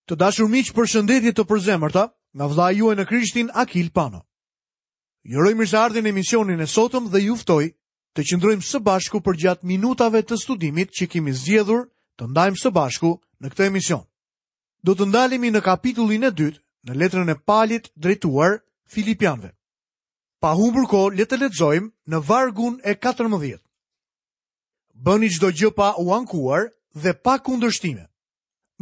Të dashur miq, përshëndetje të përzemërta nga vëllai juaj në Krishtin Akil Pano. Ju uroj mirëseardhjen në emisionin e sotëm dhe ju ftoj të qëndrojmë së bashku përgjatë minutave të studimit që kemi zgjedhur të ndajmë së bashku në këtë emision. Do të ndalemi në kapitullin e dytë në letrën e Palit drejtuar Filipianëve. Pa humbur kohë, le të lexojmë në vargun e 14. Bëni çdo gjë pa u ankuar dhe pa kundërshtime.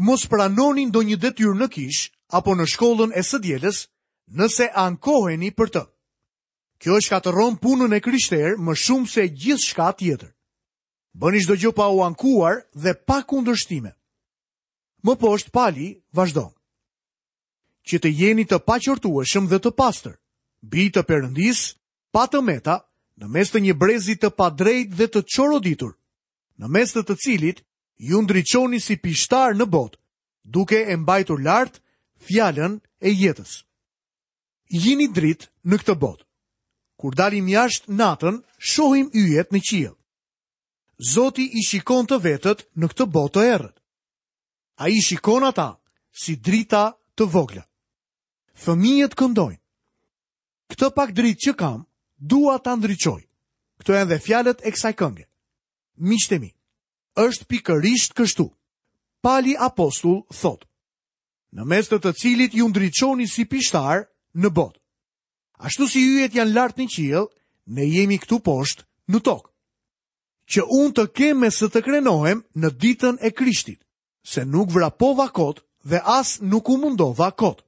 Mos pranoni ndonjë detyrë në kishë apo në shkollën e së dielës nëse ankoheni për të. Kjo e shkatërron punën e krishterë më shumë se gjithçka tjetër. Bëni çdo gjë pa u ankuar dhe pa kundërshtime. Më poshtë Pali vazhdon. Që të jeni të paqortueshëm dhe të pastër, bij të Perëndisë, pa të meta, në mes të një brezi të padrejtë dhe të çoroditur, në mes të të cilit Ju ndriçoni si pishtarë në botë, duke e mbajtur lart fjalën e jetës. Jini dritë në këtë botë. Kur dalim jashtë natën, shohim yjet në qiell. Zoti i shikon të vetët në këtë botë të errët. Ai i shikon ata si drita të vogla. Fëmijët këndojnë. Këtë pak dritë që kam, dua ta ndriçoj. Këto janë dhe fjalët e kësaj kënge. Miqtë e mi, është pikërisht kështu. Pali apostull thotë, në mes të të cilit ju ndriçoni si pishtarë në botë. Ashtu si yjet janë lart në qiell, ne jemi këtu poshtë në tokë. Që unë të kem me ç'të krenohem në ditën e Krishtit, se nuk vrapova kot dhe as nuk u mundova kot.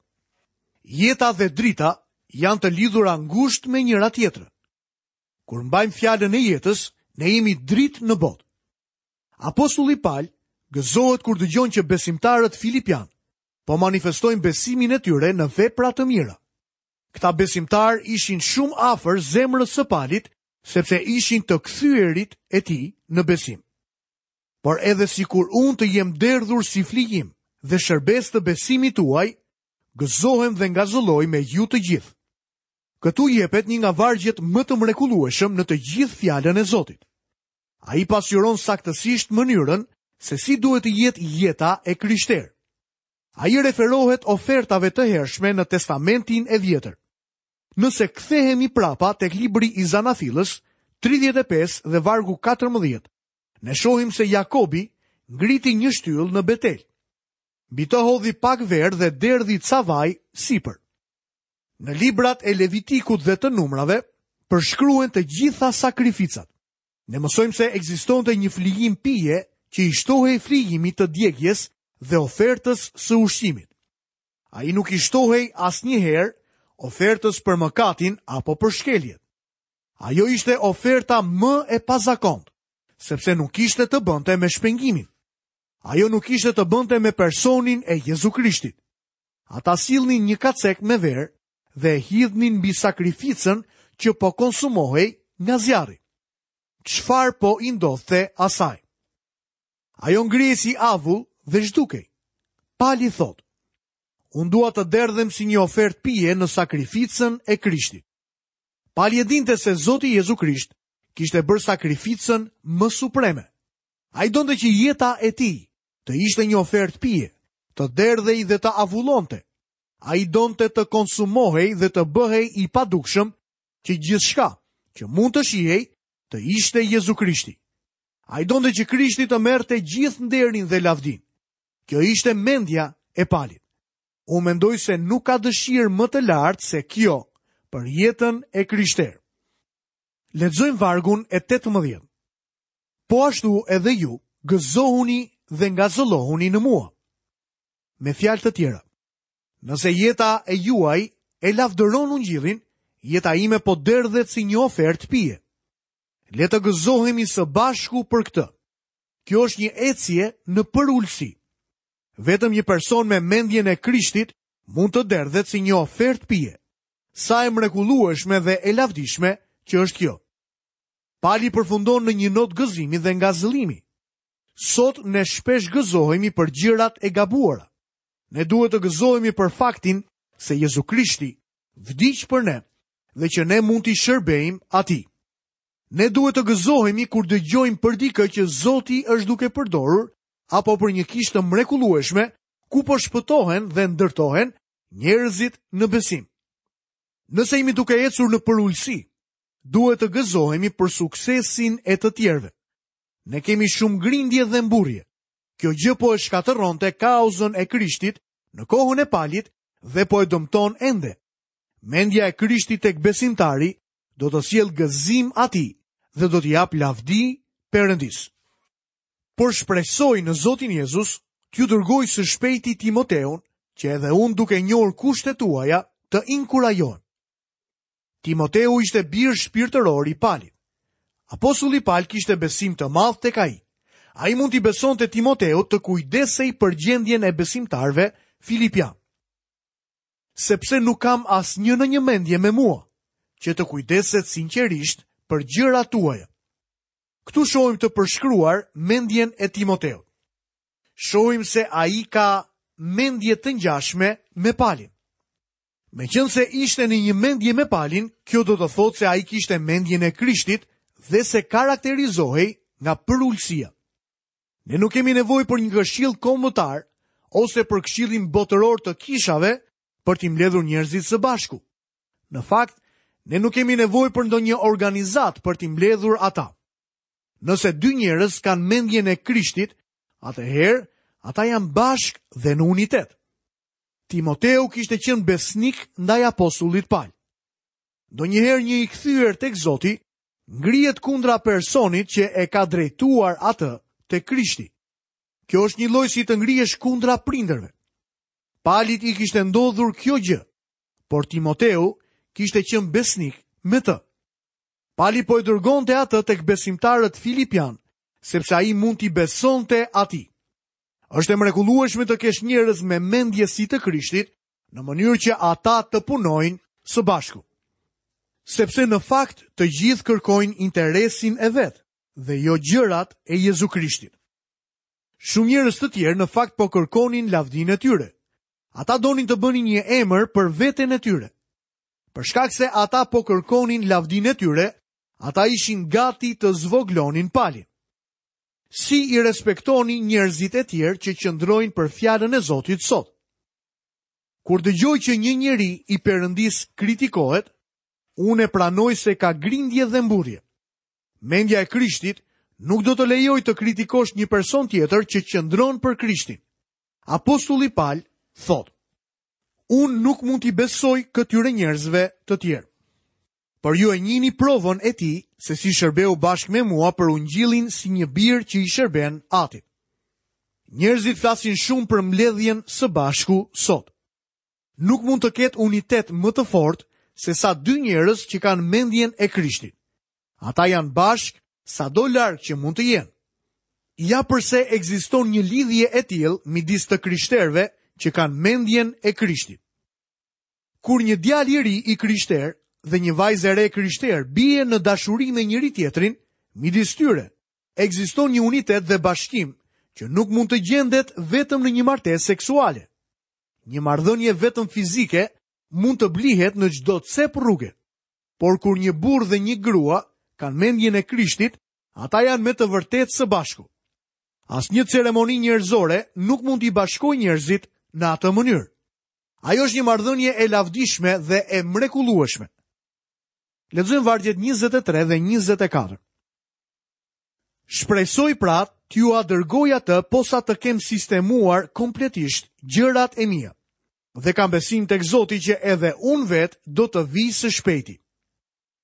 Jeta dhe drita janë të lidhura ngushtë me njëra-tjetrën. Kur mbajmë fjalën e jetës, ne jemi dritë në botë. Apostulli Pal gëzohet kur dëgjon që besimtarët filipianë po manifestojnë besimin e tyre në vepra të mira. Këta besimtarë ishin shumë afër zemrës së Palit, sepse ishin të kthyerit e tij në besim. Por edhe sikur unë të jem derdhur si flijim dhe shërbesë të besimit tuaj, gëzohem dhe ngazëlloj me ju të gjithë. Këtu jepet një nga vargjet më të mrekullueshëm në të gjithë fjalën e Zotit. Ai pasqyron saktësisht mënyrën se si duhet të jetë jeta e krishterë. Ai i referohet ofertave të hershme në Testamentin e Vjetër. Nëse kthehemi prapa tek libri i Zanafillës, 35 dhe vargu 14, ne shohim se Jakobi ngriti një shtyllë në Betel. Mbi të hodhi pak verë dhe derdhi ca vaj sipër. Në librat e Levitikut dhe të Numrave përshkruhen të gjitha sakrificat. Ne mësojmë se ekzistonte një flijim pije që i shtohej flijimit të djegies dhe ofertës së ushqimit. Ai nuk i shtohej asnjëherë ofertës për mëkatin apo për shkeljet. Ajo ishte oferta më e pazakontë, sepse nuk kishte të bënte me shpengimin. Ajo nuk kishte të bënte me personin e Jezu Krishtit. Ata sillnin një kacek me verë dhe e hidhnin mbi sakrificën që po konsumohej nga zjarri. Çfarë po i ndodhte asaj? Ajo ngrihej si avull dhe zhdukej. Pali thotë, unë dua të derdhem si një ofertë pije në sakrificën e Krishtit. Pali e dinte se Zoti Jezu Krisht kishte bërë sakrificën më supreme. Ai donte që jeta e tij të ishte një ofertë pije, të derdhej dhe të avullonte. Ai donte të konsumohej dhe të bëhej i padukshëm që gjithçka që mund të shihej të ishte Jezu Krishti. Ai donte që Krishti të merrte gjithë nderin dhe lavdinë. Kjo ishte mendja e Palit. Unë mendoj se nuk ka dëshirë më të lartë se kjo për jetën e krishterë. Lexojmë vargun e 18. Po ashtu edhe ju, gëzohuni dhe ngazëllohuni në mua. Me fjalë të tjera, nëse jeta e juaj e lavdëron ungjillin, jeta ime po derdhet si një ofertë pije. Le të gëzohemi së bashku për këtë. Kjo është një ecje në përulësi. Vetëm një person me mendjen e Krishtit mund të derdhet si një ofertë pije. Sa e mrekullueshme dhe e lavdishme që është kjo. Pali përfundon në një notë gëzimi dhe ngazëllimi. Sot ne shpesh gëzohemi për gjërat e gabuara. Ne duhet të gëzohemi për faktin se Jezu Krishti vdiq për ne dhe që ne mund t'i shërbejmë atij. Ne duhet të gëzohemi kur dëgjojmë për dikë që Zoti është duke përdorur apo për një kishë të mrekullueshme. ku po shpëtohen dhe ndërtohen njerëzit në besim. Nëse jemi duke ecur në përulësi, duhet të gëzohemi për suksesin e të tjerëve. Ne kemi shumë grindje dhe mburrje. Kjo gjë po e shkatërronte kauzën e Krishtit në kohën e Palit dhe po e dëmton ende. Mendja e Krishtit tek besimtari do t'i sjellë gëzim atij dhe do t'i japë lavdi Perëndisë. Por shpresoj në Zotin Jezus t'ju dërgoj së shpejti Timoteun, që edhe unë duke njohur kushtet tuaja të inkurajohem. Timoteu ishte bir shpirtëror i Palit. Apostulli Pal kishte besim të madh tek ai. Ai mund t'i besonte Timoteut të kujdesej për gjendjen e besimtarëve filipianë. Sepse nuk kam asnjë në një mendje me mua, që të kujdeset sinqerisht për gjërat tuaja. Këtu shohim të përshkruar mendjen e Timoteut. Shohim se ai ka mendje të ngjashme me Palin. Meqenëse ishte në një mendje me Palin, kjo do të thotë se ai kishte mendjen e Krishtit dhe se karakterizohej nga përulësia. Ne nuk kemi nevojë për një këshill kombëtar ose për këshillin botëror të kishave për t'i mbledhur njerëzit së bashku. Në fakt, ne nuk kemi nevojë për ndonjë organizatë për t'i mbledhur ata. Nëse dy njerëz kanë mendjen e Krishtit, atëherë ata janë bashkë dhe në unitet. Timoteu kishte qenë besnik ndaj apostullit Pal. Ndonjëherë një i kthyer tek Zoti ngrihet kundra personit që e ka drejtuar atë te Krishti. Kjo është njëlloj si të ngrihesh kundra prindërve. Palit i kishte ndodhur kjo gjë, por Timoteu kishte qenë besnik me të. Pali po e dërgonte atë tek besimtarët filipianë, sepse ai mund t'i besonte atij. Është e mrekullueshme të kesh njerëz me mendje si të Krishtit, në mënyrë që ata të punojnë së bashku. Sepse në fakt të gjithë kërkojnë interesin e vet dhe jo gjërat e Jezu Krishtit. Shumë njerëz të tjerë në fakt po kërkonin lavdinë e tyre. Ata donin të bënin një emër për veten e tyre. Për shkak se ata po kërkonin lavdinë e tyre, ata ishin gati të zvogëlonin Palin. Si i respektoni njerëzit e tjerë që qëndrojnë për fjalën e Zotit sot? Kur dëgjoj që një njeri i Perëndisë kritikohet, unë e pranoj se ka grindje dhe mburrje. Mendja e Krishtit nuk do të lejojë të kritikosh një person tjetër që qëndron për Krishtin. Apostulli Pal thotë: Unë nuk mund t'i besoj këtyre njerëzve të tjerë. Por ju e njihni provën e tij se si shërbeu bashkë me mua për ungjillin si një bir që i shërben atit. Njerëzit flasin shumë për mbledhjen së bashku sot. Nuk mund të ketë unitet më të fortë se sa dy njerëz që kanë mendjen e Krishtit. Ata janë bashkë sado larg që mund të jenë. Ja përse ekziston një lidhje e tillë midis të krishterëve që kanë mendjen e Krishtit. Kur një djalë i ri i krishterë dhe një vajzë e re e krishterë bien në dashuri me njëri-tjetrin, midis tyre ekziston një unitet dhe bashkim që nuk mund të gjendet vetëm në një martesë seksuale. Një marrëdhënie vetëm fizike mund të blihet në çdo cep rruge. Por kur një burrë dhe një grua kanë mendjen e Krishtit, ata janë me të vërtetë së bashku. Asnjë ceremoni njerëzore nuk mund t'i bashkojë njerëzit në atë mënyrë. Ajo është një marrëdhënie e lavdishme dhe e mrekullueshme. Lexojmë vargjet 23 dhe 24. Shpresoj pra t'jua dërgoj atë posa të kem sistemuar kompletisht gjërat e mia. Dhe kam besim tek Zoti që edhe unë vetë do të vij së shpejti.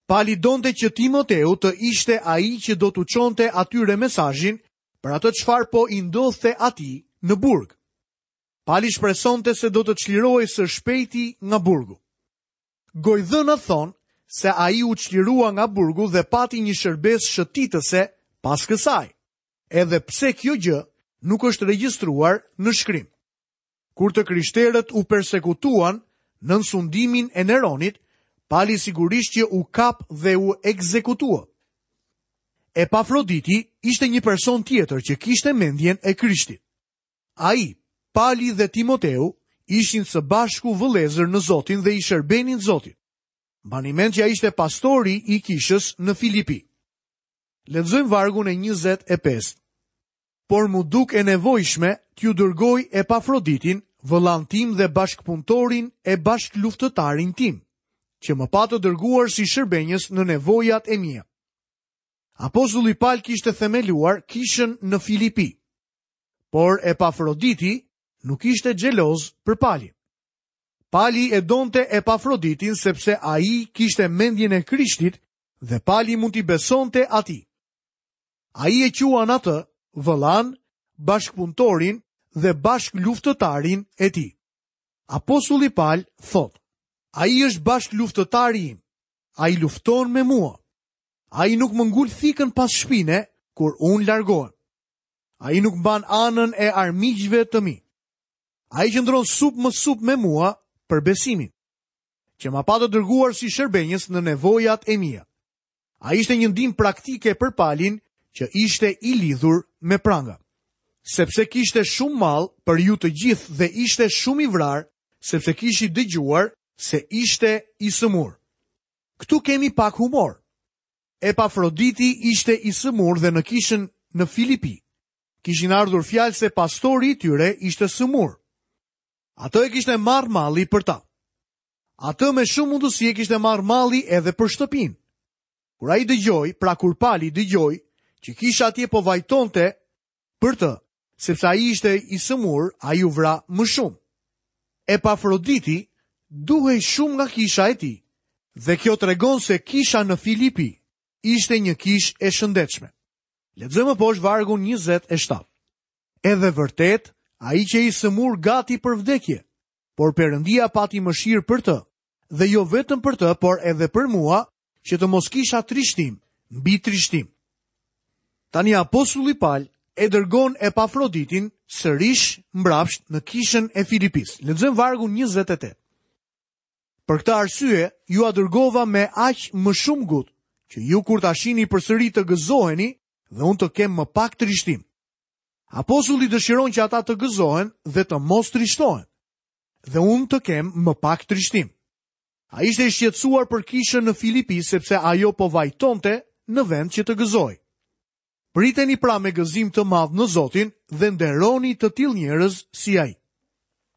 Pali donte që Timoteu të ishte ai që do t'u çonte atyre mesazhin për atë çfarë po i ndodhte atij në burg. Pali shpresonte se do të çlirohej së shpejti nga burgu. Gojëdhënat thonë se ai u çlirua nga burgu dhe pati një shërbesë shëtitëse pas kësaj, edhe pse kjo gjë nuk është regjistruar në shkrim. Kur të krishterët u persekutuan nën sundimin e Neronit, Pali sigurisht që u kap dhe u ekzekutua. Epafroditi ishte një person tjetër që kishte mendjen e Krishtit. Ai, Pali dhe Timoteu ishin së bashku vëllezër në Zotin dhe i shërbenin Zotit. Mbani mend që ai ishte pastori i kishës në Filipi. Lexojmë vargun e 25. Por m'u duk e nevojshme t'ju dërgoj Epafroditin, vëllanë tim dhe bashkëpunëtorin e bashkëluftëtarin tim, që më patët dërguar si shërbenjës në nevojat e mia. Apostulli Pal kishte themeluar kishën në Filipi, por Epafroditi nuk ishte xheloz për Palin. Pali e donte Epafroditin sepse ai kishte mendjen e Krishtit dhe Pali mund t'i besonte atij. Ai e quan atë vëllanë, bashkëpunëtorin dhe bashkëluftëtarin e tij. Apostulli Pal thotë, ai është bashkëluftëtari im, ai lufton me mua. Ai nuk më ngul thikën pas shpine kur unë largohem. Ai nuk mban anën e armiqve të mi. Ai qëndron sup më sup me mua për besimin, që ma patët dërguar si shërbenjës në nevojat e mia. Ai ishte një ndihmë praktike për Palin që ishte i lidhur me pranga. Sepse kishte shumë mall për ju të gjithë dhe ishte shumë i vrarë, sepse kishit dëgjuar se ishte i sëmurë. Këtu kemi pak humor. Epafroditi ishte i sëmurë dhe në kishën në Filipi. Kishin ardhur fjalë se pastori i tyre ishte sëmurë. Atë e kishte marrë malli për ta. Atë me shumë mundësi e kishte marrë malli edhe për shtëpinë. Kur ai dëgjoi, pra kur Pali dëgjoi, që kisha atje po vajtonte për të, sepse ai ishte i sëmurë, ai u vra më shumë. Epafroditi duhej shumë nga kisha e tij, dhe kjo tregon se kisha në Filipi ishte një kishë e shëndetshme. Lexojmë më poshtë vargun 27. Edhe vërtet, ai qe i sëmurë gati për vdekje, por Perëndia pati mëshirë për të, dhe jo vetëm për të, por edhe për mua, që të mos kisha trishtim mbi trishtim. Tani apostulli Pal e dërgon Epafroditin sërish mbrapsht në kishën e Filipisë. Lexojmë vargun 28. Për këtë arsye, jua dërgova me aq më shumë ngut, që ju kur ta shihni përsëri të gëzoheni dhe unë të kem më pak trishtim. Apostulli dëshiron që ata të gëzohen dhe të mos trishtohen. Dhe unë të kem më pak trishtim. Ai ishte i shqetësuar për kishën në Filipi sepse ajo po vajtonte në vend që të gëzohej. Priteni pra me gëzim të madh në Zotin dhe nderoni të tillë njerëz si ai.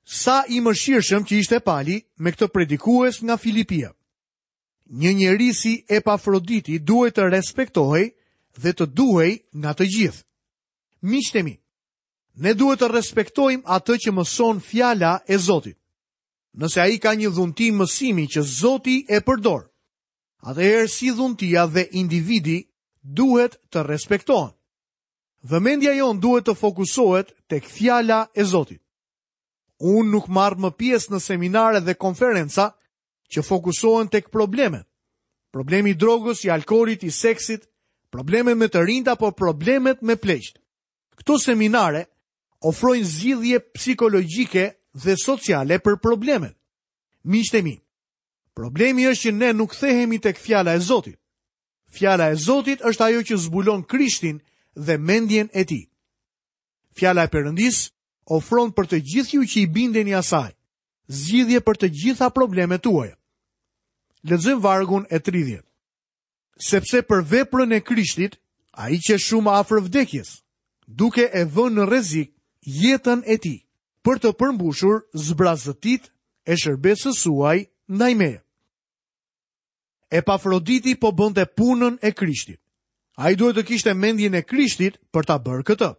Sa i mëshirshëm që ishte Pali me këtë predikues nga Filipia. Një njeri si Epafroditi duhej të respektohej dhe të duhej nga të gjithë. Miqtë e mi, ne duhet të respektojmë atë që mëson fjala e Zotit. Nëse ai ka një dhunti mësimi që Zoti e përdor, atëherë si dhuntia dhe individi duhet të respektohen. Vëmendja jonë duhet të fokusohet tek fjala e Zotit. Unë nuk marr më pjesë në seminare dhe konferenca që fokusohen tek problemet. Problemi i drogës, i alkoolit, i seksit, problemet me të rinjtë apo problemet me pleqtë. Këto seminare ofrojnë zgjidhje psikologjike dhe sociale për problemet. Miqtë e mi, problemi është që ne nuk kthehemi tek fjala e Zotit. Fjala e Zotit është ajo që zbulon Krishtin dhe mendjen e tij. Fjala e Perëndisë ofron për të gjithë ju që i bindeni asaj, zgjidhje për të gjitha problemet tuaja. Lexojmë vargun e 30. Sepse për veprën e Krishtit, ai qe shumë afër vdekjes, duke e vënë në rrezik jetën e tij, për të përmbushur zbrazëtitë e shërbesës suaj ndaj meje. Epafroditi po bënte punën e Krishtit. Ai duhet të kishte mendjen e Krishtit për ta bërë këtë.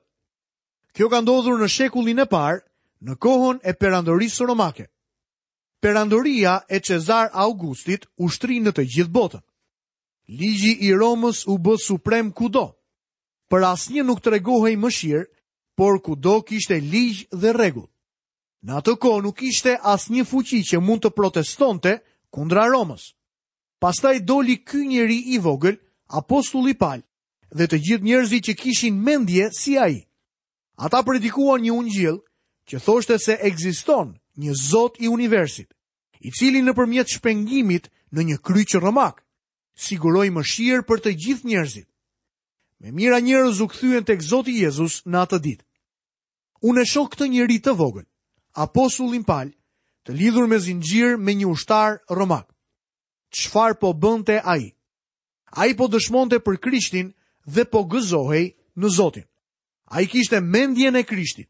Kjo ka ndodhur në shekullin e parë, në kohën e perandorisë romake. Perandoria e Cezar Augustit u shtri në të gjithë botën. Ligji i Romës u bë suprem kudo. Për asnjë nuk tregohej mëshirë, por kudo kishte ligj dhe rregull. Në atë kohë nuk ishte asnjë fuqi që mund të protestonte kundra Romës. Pastaj doli ky njeri i vogël, apostulli Pal, dhe të gjithë njerëzit që kishin mendje si ai. Ata predikuan një ungjill që thoshte se ekziston një Zot i universit, i cili nëpërmjet shpengimit në një kryq romak, siguroi mëshirë për të gjithë njerëzit. Me mijëra njerëz u kthyen tek Zoti Jezus në atë ditë. Unë e shoh këtë njeri të vogël, apostullin Pal, të lidhur me zinxhir me një ushtar romak. Çfarë po bënte ai? Ai po dëshmonte për Krishtin dhe po gëzohej në Zotin. Ai kishte mendjen e Krishtit.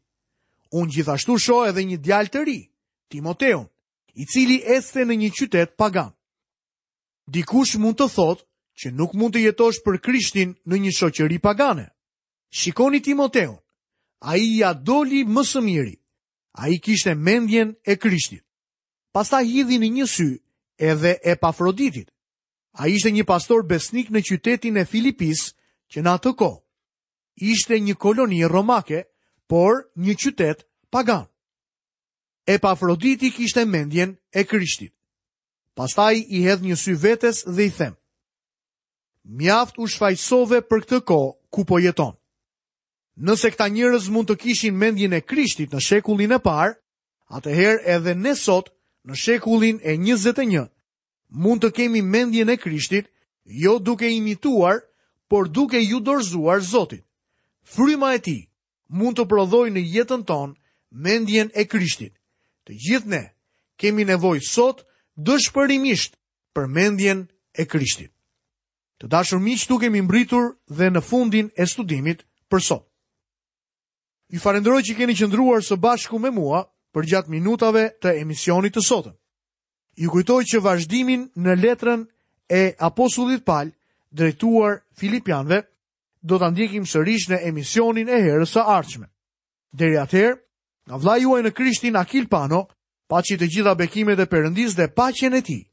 Unë gjithashtu shoh edhe një djalë të ri, Timoteun, i cili ecte në një qytet pagan. Dikush mund të thotë që nuk mund të jetosh për Krishtin në një shoqëri pagane. Shikoni Timoteun. Ai ia doli më së miri. Ai kishte mendjen e Krishtit. Pastaj hidhini një sy edhe Epafroditit. Ai ishte një pastor besnik në qytetin e Filipisë që në atë kohë ishte një koloni romake, por një qytet pagan. Epafroditi kishte mendjen e Krishtit. Pastaj i hedh një sy vetes dhe i them: Mjaft u shfajësove për këtë kohë ku po jeton. Nëse këta njerëz mund të kishin mendjen e Krishtit në shekullin e parë, atëherë edhe ne sot në shekullin e 21 mund të kemi mendjen e Krishtit, jo duke imituar, por duke iu dorëzuar Zotit. Fryma e tij mund të prodhojë në jetën tonë mendjen e Krishtit. Të gjithë ne kemi nevojë sot dëshpërimisht për mendjen e Krishtit. Të dashur miq, këtu kemi mbërritur dhe në fundin e studimit për sot. Ju falënderoj që keni qëndruar së bashku me mua përgjatë minutave të emisionit të sotëm. Ju kujtoj që vazhdimin në letrën e apostullit Pal drejtuar Filipianëve do ta ndjekim sërish në emisionin e herës së ardhshme. Deri atëherë, nga vëllai juaj në Krishtin Akil Pano, paçi të gjitha bekimet e Perëndisë dhe paqen e tij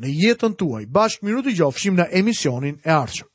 në jetën tuaj. Bashkë mirudëgjofshim në emisionin e ardhshëm.